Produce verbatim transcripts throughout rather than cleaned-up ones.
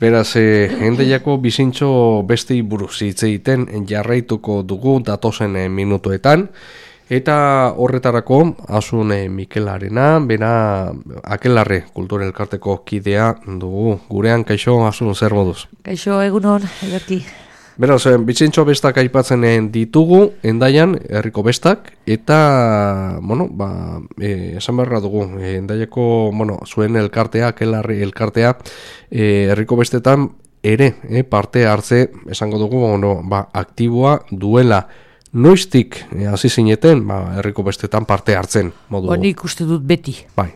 Beraz, eh, endaiako bizintxo besti buruz hitz egiten jarraituko dugu datozen eh, minutuetan, eta horretarako Asun eh, Mikelarena, bera Akelarre Kultura Elkarteko kidea dugu gurean. Kaixo, Asun, zer moduz? Kaixo, egunon, Ederki. Beraz, bizintxo bestak aipatzen ditugu, endaian, herriko bestak, eta, bueno, ba, e, esan beharra dugu, e, endaiako, bueno, zuen elkartea, Akelarre elkartea, e, herriko bestetan ere, e, parte hartze, esango dugu, bueno, ba, aktiboa duela. Noiztik, e, hasi zineten, ba, herriko bestetan parte hartzen, modu. Bo, nik uste dut beti. Bai.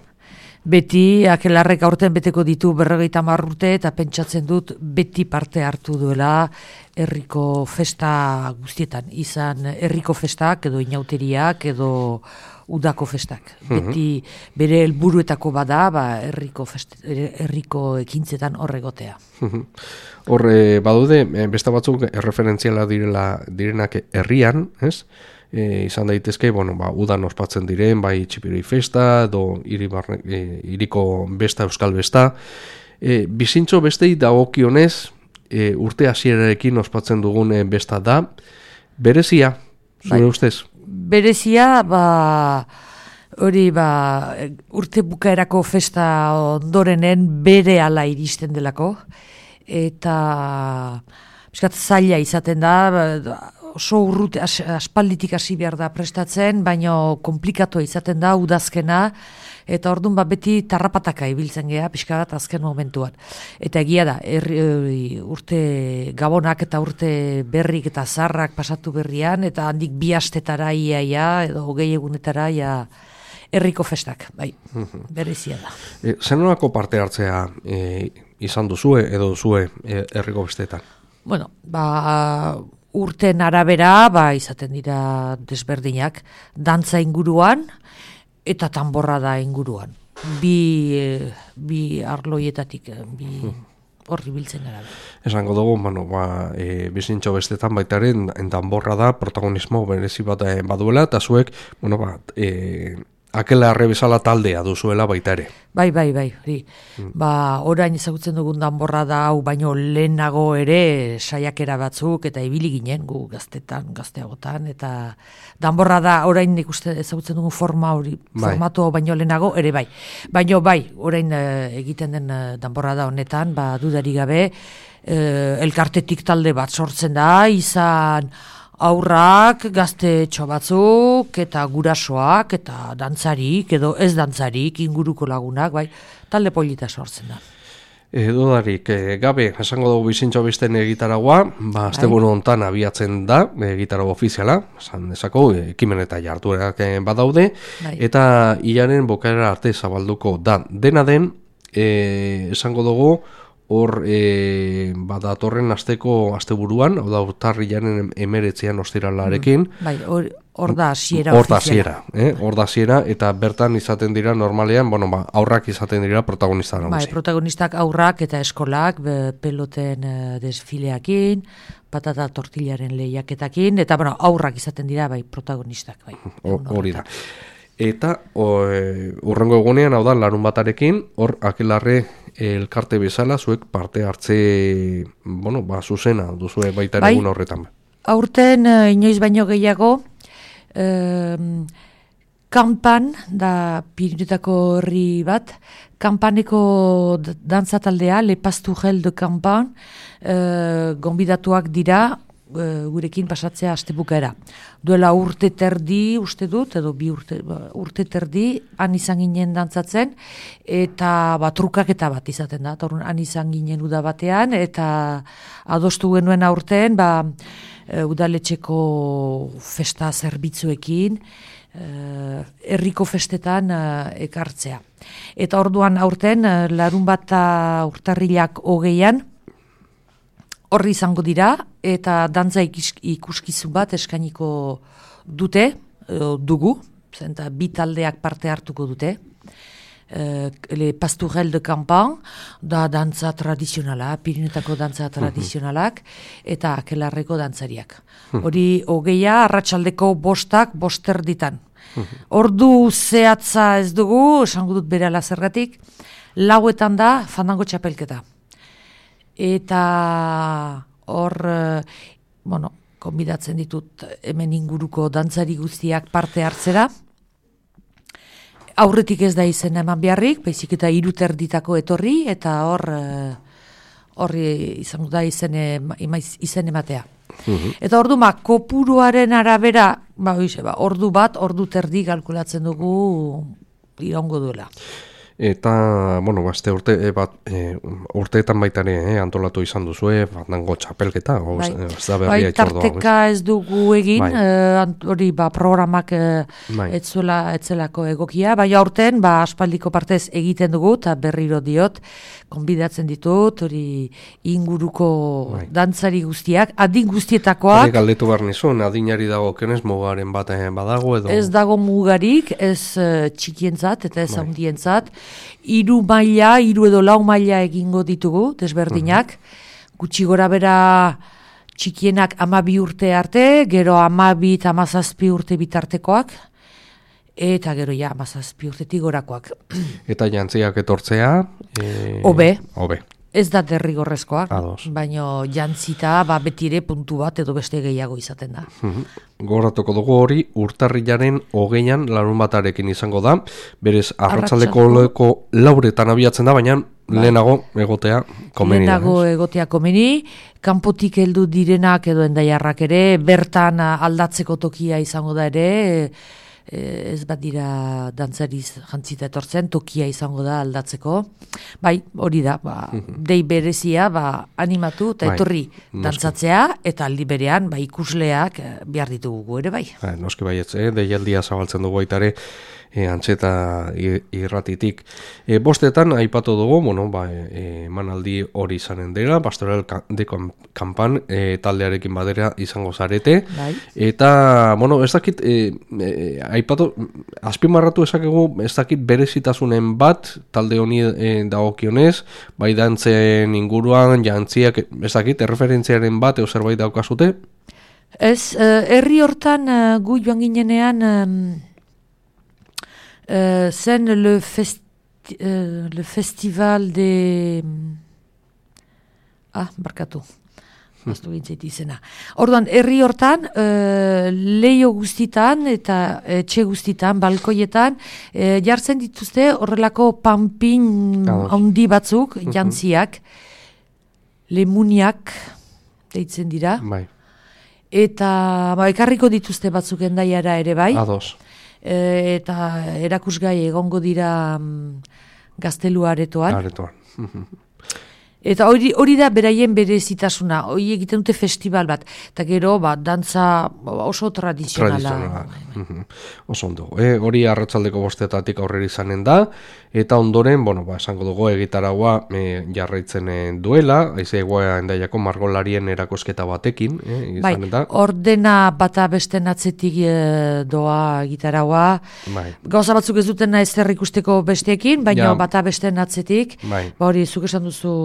Beti, Akelarrek aurten beteko ditu berrogeita hamar urte, eta pentsatzen dut beti parte hartu duela herriko festa guztietan. Izan herriko festak, edo inauteriak, edo udako festak. Beti bere helburuetako bada, ba, herriko, fest, herriko ekintzetan horregotea. Horre, badude, besta batzuk erreferentziala direla, direnak herrian, ez? E, izan daitezke, bueno, ba, udan ospatzen diren, bai txipiroi festa, edo hiri barne, e, hiriko besta, euskal besta. E, bizintxo bestei dagokionez, e, urte hasierarekin ospatzen dugun besta da, berezia, zure bai. Ustez? Berezia, ba, hori, ba, urte bukaerako festa ondorenen bere ala iristen delako, eta biskat zaila izaten da, oso urrute, as, aspalditik hasi behar da prestatzen, baina komplikatua izaten da udazkena, eta orduan ba beti tarrapataka ibiltzen geha, pixka bat azken momentuan. Eta egia da, erri, urte gabonak eta urte berrik eta zarrak pasatu berrian, eta handik bi astetara iaia, edo hogei egunetara ia herriko festak, bai, berezia da. E, Zenolako parte hartzea e, izan duzue, edo duzue herriko bestetan? Bueno, ba... urten arabera, ba, izaten dira desberdinak, dantza inguruan eta tanborrada inguruan. Bi, bi arloietatik, bi horri biltzen gara. Esango dugu, bueno, ba, e, bizintxo bestetan baitaren tanborrada protagonismo berezi bat baduela, eta zuek, bueno, ba, e, Akelarre bezala taldea duzuela baita ere. Bai, bai, bai. Hori. Mm. Ba, orain ezagutzen dugun danborrada hau, baino lehenago ere saiakera batzuk eta ibili ginen gu gaztetan, gazteagotan, eta danborrada orain ikuste ezagutzen dugun forma hori, bai. Formatu baino lehenago ere bai. Baino bai, orain e, egiten den danborrada honetan, ba, dudari gabe, e, elkartetik talde bat sortzen da, izan aurrak, gaztetxo batzuk, eta gurasoak, eta dantzarik, edo ez dantzarik, inguruko lagunak, bai, talde polita sortzen da. E, dudarik, e, gabe, esango dugu bizintxo besten egitaragua, ba, asteburu hontan abiatzen da, egitarago ofiziala, esan esako, ekimen eta jartuerak badaude, bai. Eta hilaren bokaera arte zabalduko da. Dena den, e, esango dugu, hor e, badatorren asteko asteburuan, hau da urtarrilaren emeretzean ostiralarekin. Bai, hor, hor da hasiera Hor da hasiera, eh? Hor da hasiera, eta bertan izaten dira normalean, bueno, ba, aurrak izaten dira protagonista nagusi. Bai, protagonistak aurrak eta eskolak, be, peloten uh, desfileakin, patata tortillaren lehiaketakin, eta bueno, aurrak izaten dira, bai, protagonistak, bai. Hori da. Eta urrengo egunean, hau da, larun batarekin, hor Akelarre elkarte bezala, zuek parte hartze, bueno, ba, zuzena, duzue baita bai, egun horretan. Aurten, uh, inoiz baino gehiago, uh, kanpan, da Pirinetako herri bat, kanpaneko dantza taldea, Le Pastourelle de Campan, uh, gonbidatuak dira, gurekin pasatzea astebukaera. Duela urte terdi, uste dut, edo bi urte, urte terdi, han izan ginen dantzatzen, eta ba, trukaketa bat izaten da, eta han izan ginen uda batean, eta adostu genuen aurten, ba, udaletxeko festa zerbitzuekin, herriko festetan ekartzea. Eta orduan aurten, larun bat urtarrilak hogeian, horri izango dira, eta dantza ikuskizun bat eskainiko dute, dugu, zenta bi taldeak parte hartuko dute. Le Pastourelle de Campan, da dantza tradizionala, Pirinetako dantza tradizionalak, eta Akelarreko dantzariak. Hori hogeia, arratsaldeko bostak, boster ditan. Ordu zehatza ez dugu, esango dut berehala zergatik, lauetan da fandango txapelketa. eta hor, bueno, konbidatzen ditut hemen inguruko dantzari guztiak parte hartzera. Aurretik ez da izen eman beharrik, baizik eta hiru terditako etorri, eta hor horri izango da izen, izen ematea. Uhum. Eta ordu ma, kopuruaren arabera, ba, oize, ba, ordu bat, ordu terdi kalkulatzen dugu iraungo duela. Eta, bueno, bazte urte, e, bat, e, urteetan baita ere, eh, antolatu izan duzue, bandango txapelketa, o, bai. Ez da berria itxordoa. Bai, tarteka ez dugu egin, bai. e, hori, ba, programak e, bai. etzuela, etzelako egokia, bai, aurten, ba, aspaldiko partez egiten dugu, eta berriro diot, konbidatzen ditut, hori inguruko bai. dantzari guztiak, adin guztietakoak. Hori galdetu behar nizun, adinari dago kenez mugaren bat badago edo? Ez dago mugarik, ez uh, txikientzat eta ez bai. handientzat. Hiru maila, hiru edo lau maila egingo ditugu, desberdinak. Uh-huh. Gutxi gora bera txikienak amabi urte arte, gero amabi eta amazazpi urte bitartekoak. Eta gero ja, amazazpi urtetik gorakoak. Eta jantziak etortzea? E... Obe. Obe. Ez da derrigorrezkoak, Ados. baina jantzita ba, betire puntu bat edo beste gehiago izaten da. Uh-huh. Goratuko dugu hori, urtarrilaren hogeian larun batarekin izango da. Berez, arratsaldeko leko lauretan abiatzen da, baina ba. lehenago egotea komeni. Lehenago da, egotea komeni, kanpotik heldu direnak edo endaiarrak ere, bertan aldatzeko tokia izango da ere, ez bat dira dantzariz jantzita etortzen, tokia izango da aldatzeko. Bai, hori da, ba, dei berezia, ba, animatu eta etorri bai, dantzatzea, eta aldi berean, ba, ikusleak behar ditugu ere bai. Ba, noski baietz, eh? deialdia zabaltzen dugu baitare, E, antxeta irratitik. E, bostetan, aipatu dugu, bueno, ba, e, manaldi hori izanen dela, Pastoral de Kampan e, taldearekin badera izango zarete. Bai. Eta, bueno, ez dakit, e, e, aipatu, azpimarratu ezakegu, ez dakit berezitasunen bat, talde honi e, dagokionez, bai dantzen inguruan, jantziak, ez dakit, erreferentziaren bat, eo zerbait daukazute? Ez, herri uh, hortan uh, gu joan ginenean, um, Uh, zen le, festi, uh, le festival de... Ah, barkatu. Baztu gintzait izena. Orduan, herri hortan, uh, leio guztitan eta etxe guztitan, balkoietan, uh, jartzen dituzte horrelako panpin handi batzuk, uh-huh. jantziak, lemuniak, deitzen dira. Bai. Eta ba, ekarriko dituzte batzuk endaiara ere bai. Ados. E, eta erakusgai egongo dira um, gaztelua aretoan. Aretoan. Eta hori, hori da beraien berezitasuna, hori egiten dute festival bat, eta gero ba, dantza oso tradizionala. Tradizionala. Oso ondo. E, hori arratsaldeko bostetatik aurrera izanen da, eta ondoren, bueno, ba, esango dugu egitaragua e, jarraitzen duela, haize egoa endaiako margolarien erakosketa batekin. E, bai, ordena bata besten atzetik e, doa egitaragua. Bai. Gauza batzuk ez dutena ez zer ikusteko besteekin, baina ja. bata besten atzetik. Bai. Ba, hori, zuk esan duzu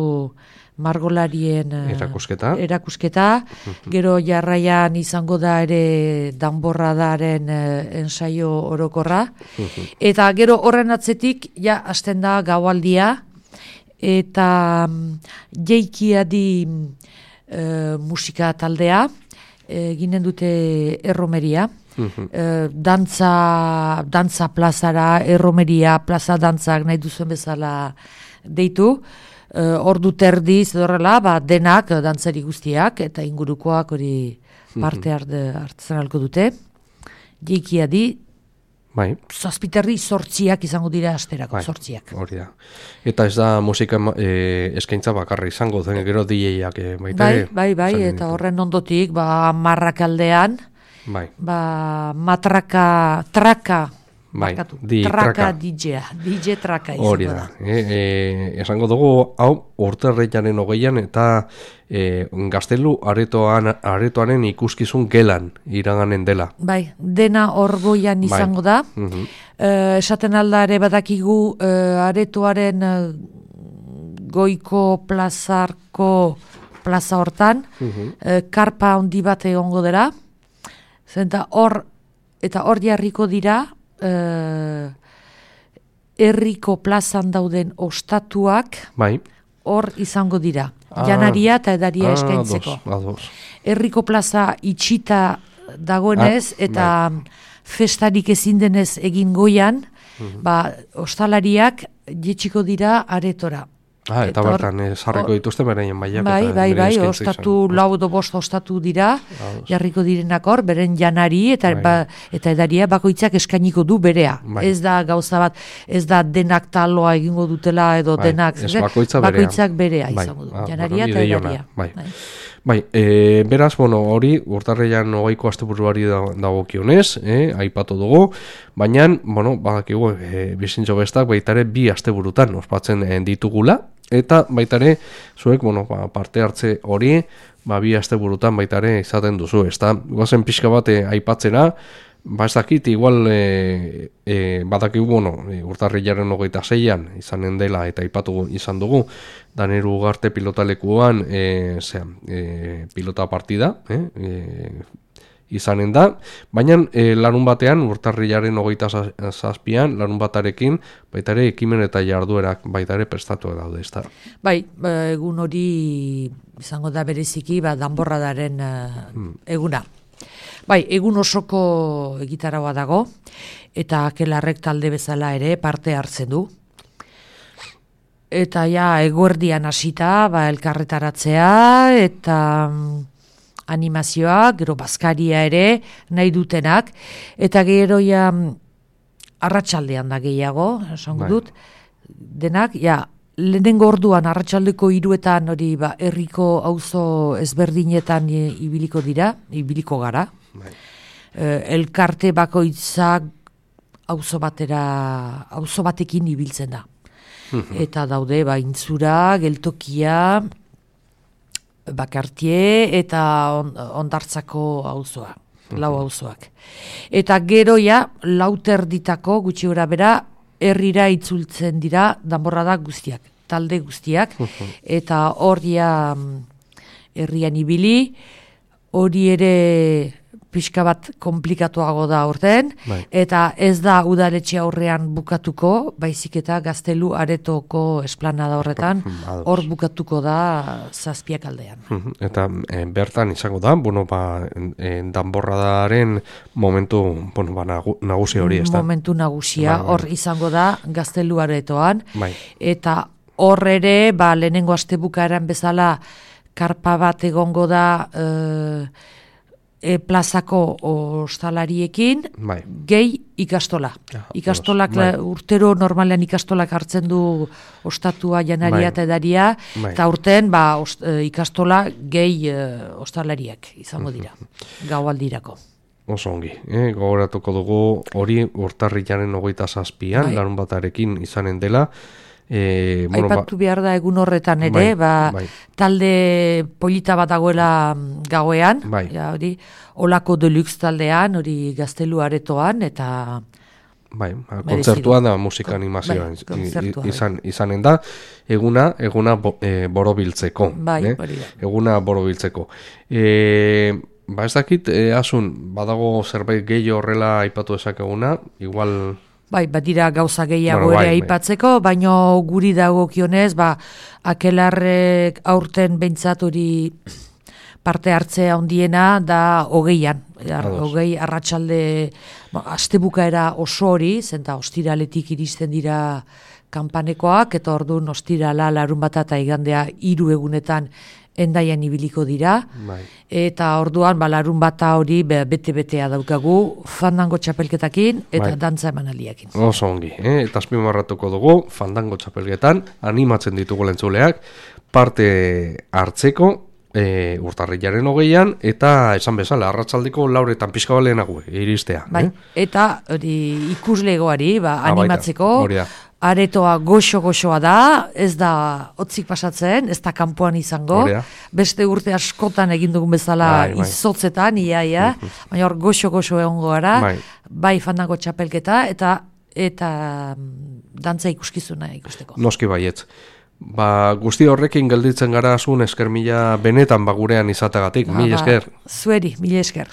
margolarien erakusketa. erakusketa. Gero jarraian izango da ere danborradaren ensaio orokorra. Eta gero horren atzetik, ja, hasten da gaualdia, eta jeikia di e, musika taldea, e, ginen dute erromeria. E, dantza, dantza plazara, erromeria, plaza dantzak nahi duzuen bezala deitu. Uh, ordu terdiz horrela, ba, denak, dantzari guztiak, eta ingurukoak hori parte hartzen alko dute. Jeikia di, bai. zazpiterri sortziak izango dira asterako, bai. sortziak. Hori da. Eta ez da musika e, eskaintza bakarra izango, zen gero D J-ak e, baita. Bai, bai, bai, eta horren ondotik, ba, marrakaldean, bai. ba, matraka, traka, Bai, di, traka D J-a, D J traka izango Hori da. da. E, e, esango dugu, hau, urtarrilaren hogeian eta e, gaztelu aretoan, aretoanen ikuskizun gelan iraganen dela. Bai, dena orgoian izango bai. da. Uh-huh. E, esaten aldare badakigu e, aretoaren e, goiko plazarko plaza hortan, uh-huh. e, karpa handi bat egongo dela. Zenta hor, eta hor jarriko dira, Uh, herriko plazan dauden ostatuak bai. hor izango dira. ah, janaria eta edaria ah, eskaintzeko. Ados, ados. Herriko plaza itxita dagoenez, ah, eta bai. Festarik ezin denez egin goian, mm-hmm. ba, ostalariak jetxiko dira aretora. Ah, eta, eta bertan, or, sarriko dituzte beraien baiak. Bai, eta bai, bai, ostatu, lau edo bost ostatu dira, Ados. Jarriko direnak hor, beren janari, eta, bai. ba, eta edaria bakoitzak eskainiko du berea. Bai. Ez da gauza bat, ez da denak taloa egingo dutela, edo bai. denak, ez, bakoitza bakoitzak berea bai. izango du, Ah, janaria eta edaria. Bai. Bai. Bai, e, beraz, bueno, hori, urtarrian hogeiko asteburuari dagokionez, eh, aipatu dugu, baina, bueno, badakigu, e, bizintxo bestak baitare bi asteburutan ospatzen e, ditugula, eta baitare, zuek, bueno, ba, parte hartze hori, ba, bi asteburutan baitare izaten duzu, ezta? Goazen pixka bat e, aipatzera, ba ez dakit, igual e, e, badakigu, bueno, e, urtarrilaren hogeita zeian izanen dela eta aipatu izan dugu, Daneru Ugarte pilotalekuan e, zera, e, pilota partida e, e, izanen da, baina e, larun batean, urtarrilaren hogeita zazpian, larun batarekin baitare ekimen eta jarduerak baitare prestatu daude, ezta? Bai, egun hori izango da bereziki, ba, danborradaren uh, hmm. eguna. Bai, egun osoko egitaragoa dago, eta Akelarrek talde bezala ere parte hartzen du. Eta ja, eguerdian hasita, ba, elkarretaratzea, eta um, animazioa, gero bazkaria ere, nahi dutenak, eta gero ja, arratsaldean da gehiago, esango dut, denak, ja, lehenengo orduan arratsaldeko hiruetan hori ba herriko auzo ezberdinetan e, ibiliko dira, ibiliko gara. Bai. E, elkarte bakoitzak auzo batera, auzo batekin ibiltzen da. Eta daude ba Intzura, Geltokia, Bakartie eta on, Ondartzako auzoa, lau auzoak. Eta gero ja lauterditako gutxi gora bera herrira itzultzen dira danborrada guztiak, talde guztiak, eta horria herrian ibili, hori ere pixka bat komplikatuago da aurten, bai. Eta ez da udaletxe aurrean bukatuko, baizik eta Gaztelu Aretoko esplanada horretan, hor bukatuko da zazpiak aldean. Eta e, bertan izango da, bueno, ba, e, danborradaren momentu, bueno, ba, nagusi hori, ez da? Momentu nagusia, bai, bai. Hor izango da Gaztelu Aretoan, bai. Eta hor ere, ba, lehenengo astebukaeran bezala, karpa bat egongo da, e, E, plazako ostalariekin, bai. Gehi ikastola. Ja, Ikastolak, bai. Urtero normalean ikastolak hartzen du ostatua, janaria bai. Eta edaria, bai. Eta urten ba, ost, e, ikastola gehi e, ostalariak izango dira, gaualdirako. Oso ongi, eh? Gogoratuko dugu hori urtarrilaren hogeita zazpian, bai. Larun batarekin izanen dela, E, bueno, aipatu behar da egun horretan ere, bai, ba, bai. Talde polita bat dagoela gauean, bai. Ja, hori, Olako Deluxe taldean, hori Gaztelu Aretoan, eta bai, kontzertua da musika animazioa bai, izan, izanen da, eguna, eguna bo, e, borobiltzeko. Bai, eh? Eguna borobiltzeko. E, ba ez dakit, e, asun, badago zerbait gehi horrela aipatu ezakeguna, igual... Bai, bat dira gauza gehiago bueno, ere bai, aipatzeko, bai. Baino guri dagokionez, ba, Akelarrek aurten behintzat hori parte hartzea handiena da hogeian. Hogei arratsalde, ba, astebukaera oso hori, zenta ostiraletik iristen dira kanpanekoak, eta orduan ostirala, larun bat eta igandea hiru egunetan Endaian ibiliko dira, bai. Eta orduan ba, larun bata hori bete-betea daukagu, fandango txapelketakin eta bai. Dantza emanaldiakin. Oso ongi, eh? Eta azpimarratuko dugu, fandango txapelketan, animatzen ditugu lentzuleak, parte hartzeko, e, urtarrilaren hogeian, eta esan bezala, arratsaldeko lauretan pixka balenago iristea. Bai. Eh? Eta hori ikuslegoari ba, animatzeko, Aretoa goxo-goxoa da, ez da hotzik pasatzen, ez da kanpoan izango, Orea. Beste urte askotan egin dugun bezala bai, bai. Izotzetan, ia, ia, baina hor goxo-goxo egongo gara, bai, bai fandango txapelketa, eta eta dantza ikuskizuna ikusteko. Noski baietz. Ba, guzti horrekin gelditzen gara azun esker mila benetan bagurean izategatik, mila esker. Zueri, mila esker.